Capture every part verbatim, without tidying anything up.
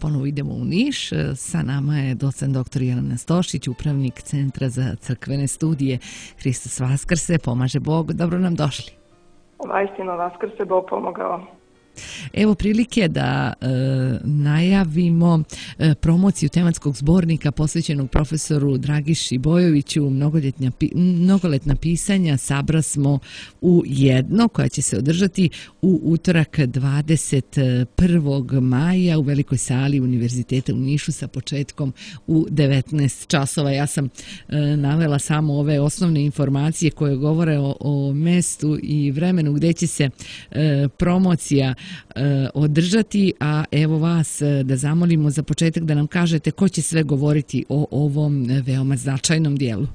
ponovo idemo u Niš. Sa nama je docent doktor Jelena Stošić, upravnik Centra za crkvene studije. Hristos Vaskrse, pomaže Bog, dobro nam došli. Vajstino Vaskrse, Bog pomogao. Evo prilike da e, najavimo e, promociju tematskog zbornika posvećenog profesoru Dragiši Bojoviću, mnogoletna pisanja Sabra smo u jedno, koja će se održati u utorak dvadeset prvog maja u velikoj sali Univerziteta u Nišu sa početkom u devetnaest časova. Ja sam e, navela samo ove osnovne informacije koje govore o, o mestu i vremenu gdje će se e, promocija održati, a evo vas da zamolimo za početak da nam kažete ko će sve govoriti o ovom veoma značajnom dijelu.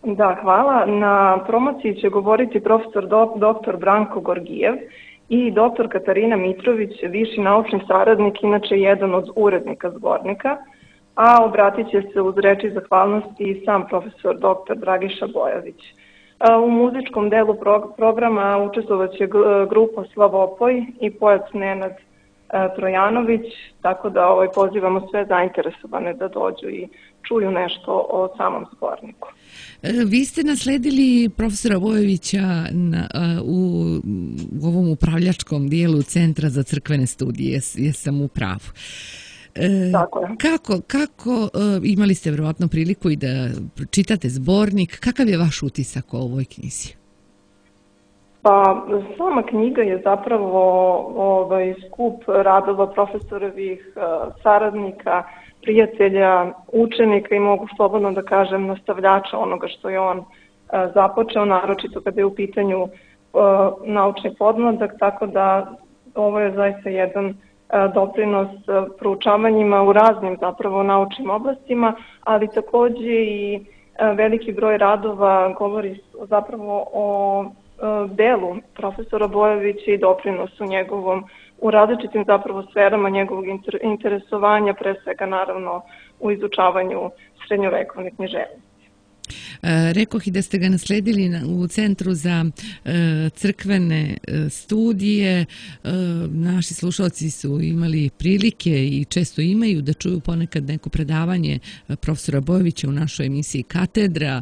Da, hvala. Na promociji će govoriti profesor doktor Branko Gorgijev i doktor Katarina Mitrović, viši naučni saradnik, inače jedan od urednika zbornika, a obratit će se uz reči zahvalnosti i sam profesor doktor Dragiša Bojović. U muzičkom delu programa učestvovat će grupa Slavopoj i pojac Nenad Trojanović, tako da ovaj, pozivamo sve zainteresovane da dođu i čuju nešto o samom zborniku. Vi ste nasledili profesora Bojovića na, u, u ovom upravljačkom dijelu Centra za crkvene studije, jesam u pravu. E, kako, kako imali ste vjerovatno priliku i da pročitate zbornik, kakav je vaš utisak o ovoj knjizi? Pa, sama knjiga je zapravo ovaj, skup radova profesorovih saradnika, prijatelja, učenika i mogu slobodno da kažem nastavljača onoga što je on započeo, naročito kada je u pitanju naučni podmladak, tako da ovo je zaista jedan doprinos proučavanjima u raznim zapravo naučnim oblastima, ali takođe i veliki broj radova govori zapravo o delu profesora Bojovića i doprinosu njegovom u različitim zapravo sferama njegovog interesovanja, pre svega naravno u izučavanju srednjovekovne književnosti. Rekoh i da ste ga nasledili u Centru za crkvene studije. Naši slušalci su imali prilike i često imaju da čuju ponekad neko predavanje profesora Bojovića u našoj emisiji Katedra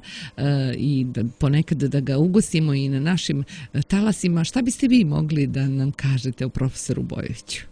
i ponekad da ga ugostimo i na našim talasima. Šta biste vi mogli da nam kažete o profesoru Bojoviću?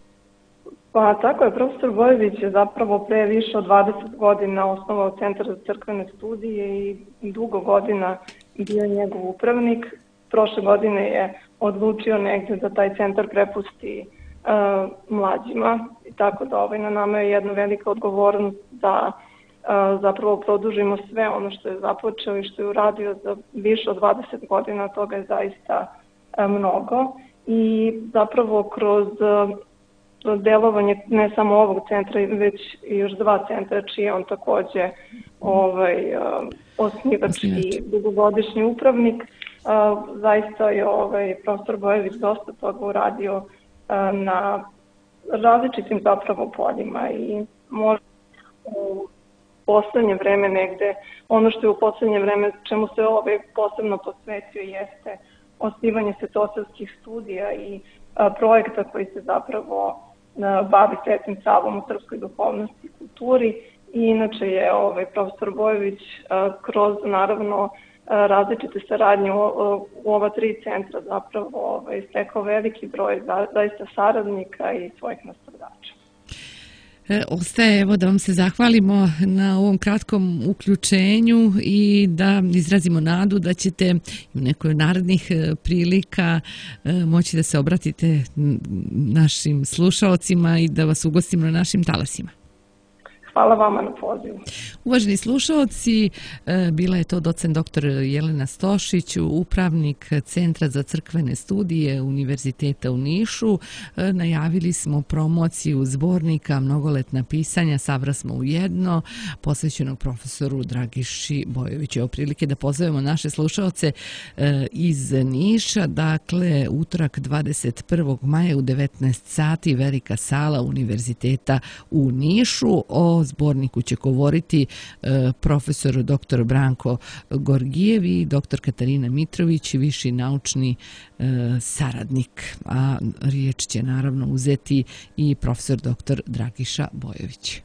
Pa tako je, profesor Bojović je zapravo pre više od dvadeset godina osnovao Centar za crkvene studije i dugo godina bio njegov upravnik. Prošle godine je odlučio negdje da taj centar prepusti uh, mlađima i tako da ovaj, na nama je jedna velika odgovornost da uh, zapravo produžimo sve ono što je započeo i što je uradio za više od dvadeset godina, toga je zaista uh, mnogo i zapravo kroz uh, delovanje ne samo ovog centra, već i još dva centra, čiji je on takođe ovaj, osnivač i dugogodišnji upravnik. Zaista je ovaj, profesor Bojović dosta toga uradio na različitim zapravo poljima i možda u poslednje vreme negde, ono što je u poslednje vreme čemu se ovaj posebno posvetio jeste osnivanje svetosavskih studija i projekta koji se zapravo bavi Svetim Savom u srpskoj duhovnosti i kulturi i inače je ovaj, profesor Bojović kroz naravno različite saradnje u, u ova tri centra zapravo ovaj, stekao veliki broj zaista saradnika i svojih nastavljača. Ostaje evo da vam se zahvalimo na ovom kratkom uključenju i da izrazimo nadu da ćete u nekoj narednih prilika moći da se obratite našim slušaocima i da vas ugostimo na našim talasima. Hvala vama na pozivu. Uvaženi slušaoci, bila je to docent doktor Jelena Stošić, upravnik Centra za crkvene studije Univerziteta u Nišu. Najavili smo promociju zbornika Mnogoletna pisanja Sabra smo u jedno, posvećenog profesoru Dragiši Bojoviću. Evo prilike da pozovemo naše slušaoce iz Niša, dakle utorak dvadeset prvog maja u devetnaest sati velika sala Univerziteta u Nišu. O o zborniku će govoriti profesor doktor Branko Gorgijev i doktor Katarina Mitrović, viši naučni saradnik. A riječ će naravno uzeti i profesor doktor Dragiša Bojović.